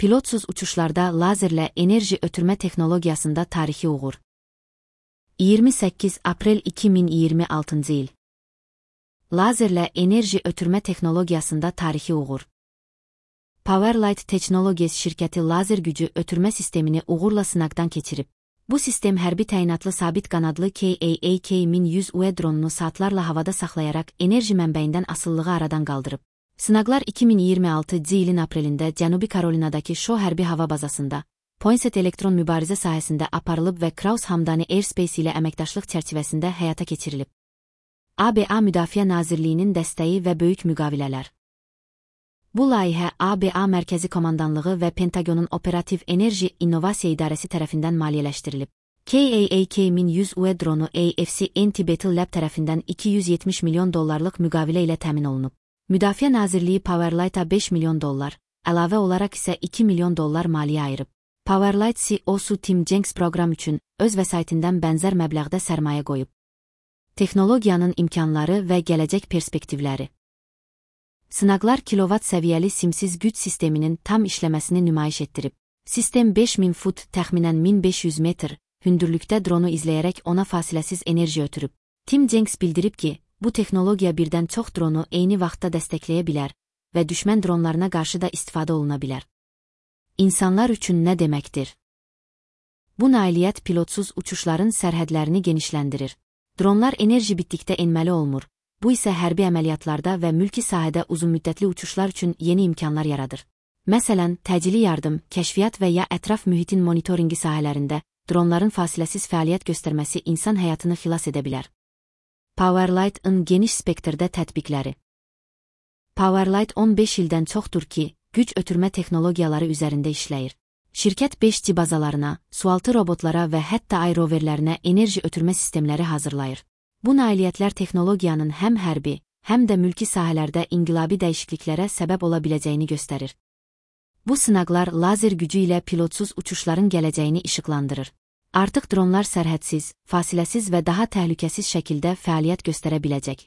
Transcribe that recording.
pilotsuz uçuşlarda lazerlə enerji ötürmə texnologiyasında tarixi uğur. 28 aprel 2026 il. Lazerlə enerji ötürmə texnologiyasında tarixi uğur. PowerLight Technologies şirkəti lazer gücü ötürmə sistemini uğurla sınaqdan keçirib. Bu sistem hərbi təyinatlı sabit qanadlı KAAK-1100 dronunu saatlarla havada saxlayaraq enerji mənbəyindən asılılığı aradan qaldırıb. Sınaqlar 2026 ilin aprelində Cənubi Karolinadakı Shaw hərbi hava bazasında, Poinsett elektron mübarizə sahəsində aparılıb və Kraus Hamdani Airspace ilə əməkdaşlıq çərçivəsində həyata keçirilib. ABA Müdafiə Nazirliyinin dəstəyi və böyük müqavilələr. Bu layihə ABA Mərkəzi Komandanlığı və Pentagonun Operativ Enerji İnnovasiya İdarəsi tərəfindən maliyyələşdirilib. KAAK-1100 dronu AFC Anti-Battle Lab tərəfindən $270 milyon müqavilə ilə təmin olunub. Müdafiə Nazirliyi PowerLight'a $5 milyon, əlavə olaraq isə $2 milyon maliyyə ayırıb. PowerLight CEO-su Tim Jenks proqram üçün öz vəsaitindən bənzər məbləğdə sərmayə qoyub. Texnologiyanın imkanları və gələcək perspektivləri. Sınaqlar kilovat səviyyəli simsiz güc sisteminin tam işləməsini nümayiş etdirib. Sistem 5000 fut, təxminən 1500 metr, hündürlükdə dronu izləyərək ona fasiləsiz enerji ötürüb. Tim Jenks bildirib ki, bu texnologiya birdən çox dronu eyni vaxtda dəstəkləyə bilər və düşmən dronlarına qarşı da istifadə oluna bilər. İnsanlar üçün nə deməkdir? Bu nailiyyət pilotsuz uçuşların sərhədlərini genişləndirir. Dronlar enerji bitdikdə enməli olmur. Bu isə hərbi əməliyyatlarda və mülki sahədə uzunmüddətli uçuşlar üçün yeni imkanlar yaradır. Məsələn, təcili yardım, kəşfiyyat və ya ətraf mühitin monitoringi sahələrində dronların fasiləsiz fəaliyyət göstərməsi insan həyatını xilas edə bilər. PowerLight'ın geniş spektrdə tətbiqləri. PowerLight 15 ildən çoxdur ki, güc ötürmə texnologiyaları üzərində işləyir. Şirkət 5G bazalarına, sualtı robotlara və hətta ay roverlərinə enerji ötürmə sistemləri hazırlayır. Bu nailiyyətlər texnologiyanın həm hərbi, həm də mülki sahələrdə inqilabi dəyişikliklərə səbəb ola biləcəyini göstərir. Bu sınaqlar lazer gücü ilə pilotsuz uçuşların gələcəyini işıqlandırır. Artıq dronlar sərhədsiz, fasiləsiz və daha təhlükəsiz şəkildə fəaliyyət göstərə biləcək.